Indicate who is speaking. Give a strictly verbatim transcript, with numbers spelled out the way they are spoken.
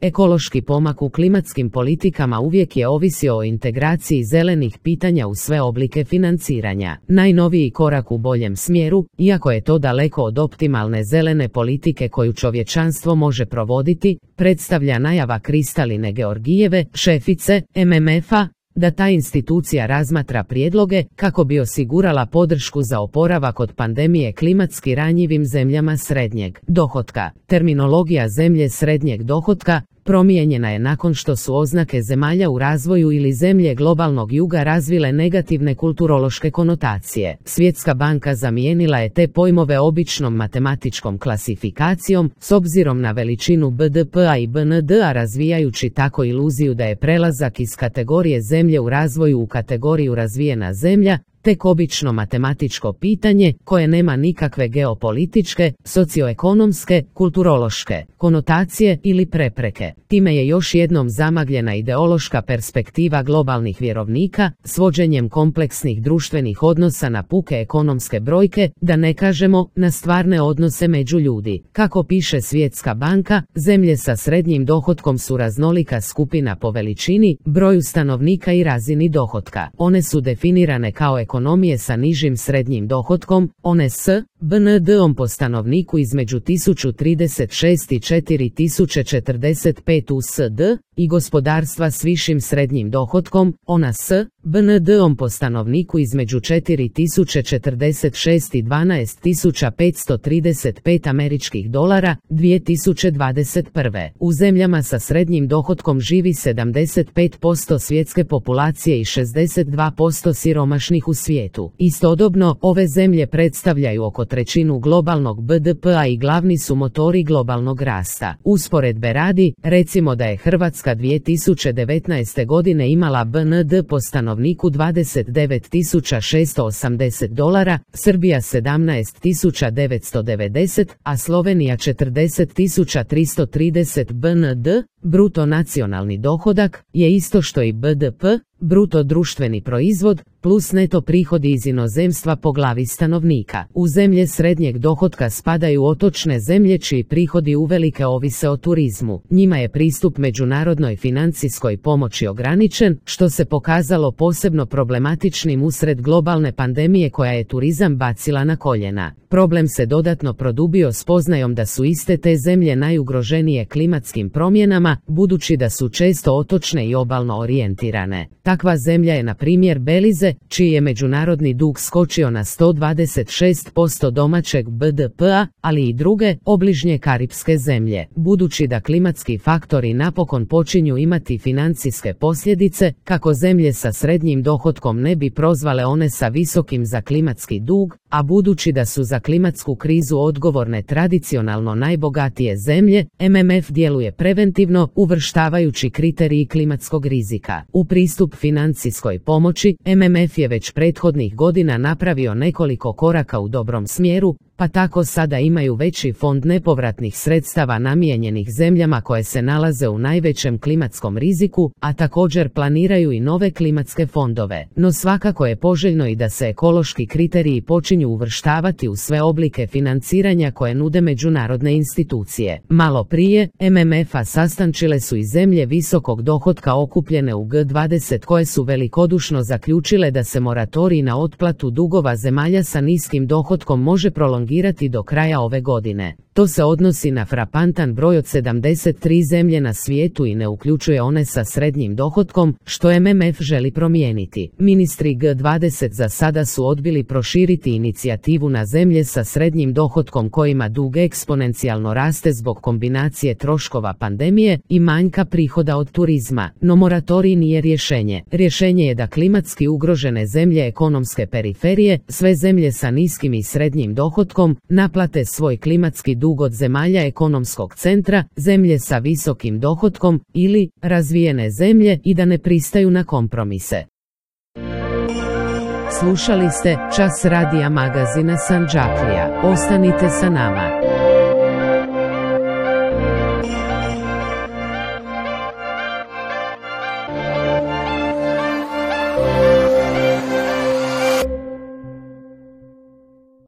Speaker 1: Ekološki pomak u klimatskim politikama uvijek je ovisio o integraciji zelenih pitanja u sve oblike financiranja. Najnoviji korak u boljem smjeru, iako je to daleko od optimalne zelene politike koju čovječanstvo može provoditi, predstavlja najava Kristaline Georgijeve, šefice M M F-a, da ta institucija razmatra prijedloge kako bi osigurala podršku za oporavak od pandemije klimatski ranjivim zemljama srednjeg dohotka. Terminologija zemlje srednjeg dohotka promijenjena je nakon što su oznake zemalja u razvoju ili zemlje globalnog juga razvile negativne kulturološke konotacije. Svjetska banka zamijenila je te pojmove običnom matematičkom klasifikacijom s obzirom na veličinu B D P-a i B N D-a, razvijajući tako iluziju da je prelazak iz kategorije zemlje u razvoju u kategoriju razvijena zemlja tek obično matematičko pitanje koje nema nikakve geopolitičke, socioekonomske, kulturološke konotacije ili prepreke. Time je još jednom zamagljena ideološka perspektiva globalnih vjerovnika, svođenjem kompleksnih društvenih odnosa na puke ekonomske brojke, da ne kažemo na stvarne odnose među ljudi. Kako piše Svjetska banka, zemlje sa srednjim dohotkom su raznolika skupina po veličini, broju stanovnika i razini dohotka. One su definirane kao ekonomije sa nižim srednjim dohotkom, one s B N D-om po stanovniku između tisuću trideset šest i četiri tisuće četrdeset pet U S D, i gospodarstva s višim srednjim dohotkom, ona s B N D-om po stanovniku između četiri tisuće četrdeset šest i dvanaest tisuća petsto trideset pet američkih dolara, dvije tisuće dvadeset prve. U zemljama sa srednjim dohotkom živi sedamdeset pet posto svjetske populacije i šezdeset dva posto siromašnih u svijetu. Istodobno, ove zemlje predstavljaju oko trećinu globalnog B D P-a i glavni su motori globalnog rasta. Usporedbe radi, recimo da je Hrvatska dvije tisuće devetnaeste. godine imala B N D po stanovniku dvadeset devet tisuća šesto osamdeset dolara, Srbija sedamnaest tisuća devetsto devedeset, a Slovenija četrdeset tisuća tristo trideset. B N D, bruto nacionalni dohodak, je isto što i B D P, bruto društveni proizvod, plus neto prihodi iz inozemstva po glavi stanovnika. U zemlje srednjeg dohotka spadaju otočne zemlje čiji prihodi uvelike ovise o turizmu. Njima je pristup međunarodnoj financijskoj pomoći ograničen, što se pokazalo posebno problematičnim usred globalne pandemije koja je turizam bacila na koljena. Problem se dodatno produbio spoznajom da su iste te zemlje najugroženije klimatskim promjenama, budući da su često otočne i obalno orijentirane. Takva zemlja je na primjer Belize, čiji je međunarodni dug skočio na sto dvadeset šest posto domaćeg B D P-a, ali i druge, obližnje karipske zemlje. Budući da klimatski faktori napokon počinju imati financijske posljedice, kako zemlje sa srednjim dohotkom ne bi prozvale one sa visokim za klimatski dug, a budući da su za klimatsku krizu odgovorne tradicionalno najbogatije zemlje, M M F djeluje preventivno, uvrštavajući kriteriji klimatskog rizika. U pristup financijskoj pomoći, M M F je već prethodnih godina napravio nekoliko koraka u dobrom smjeru, pa tako sada imaju veći fond nepovratnih sredstava namijenjenih zemljama koje se nalaze u najvećem klimatskom riziku, a također planiraju i nove klimatske fondove. No svakako je poželjno i da se ekološki kriteriji počinju uvrštavati u sve oblike financiranja koje nude međunarodne institucije. Malo prije, M M F-a sastančile su i zemlje visokog dohotka okupljene u G dvadeset koje su velikodušno zaključile da se moratorij na otplatu dugova zemalja sa niskim dohotkom može prolongirati do kraja ove godine. To se odnosi na frapantan broj od sedamdeset tri zemlje na svijetu i ne uključuje one sa srednjim dohotkom, što M M F želi promijeniti. Ministri G dvadeset za sada su odbili proširiti inicijativu na zemlje sa srednjim dohotkom kojima dug eksponencijalno raste zbog kombinacije troškova pandemije i manjka prihoda od turizma. No moratorij nije rješenje. Rješenje je da klimatski ugrožene zemlje ekonomske periferije, sve zemlje sa niskim i srednjim dohotkom, naplate svoj klimatski dug od zemalja ekonomskog centra, zemlje sa visokim dohotkom ili razvijene zemlje i da ne pristaju na kompromise. Slušali ste Čas radija magazina Sandžaklija. Ostanite sa nama.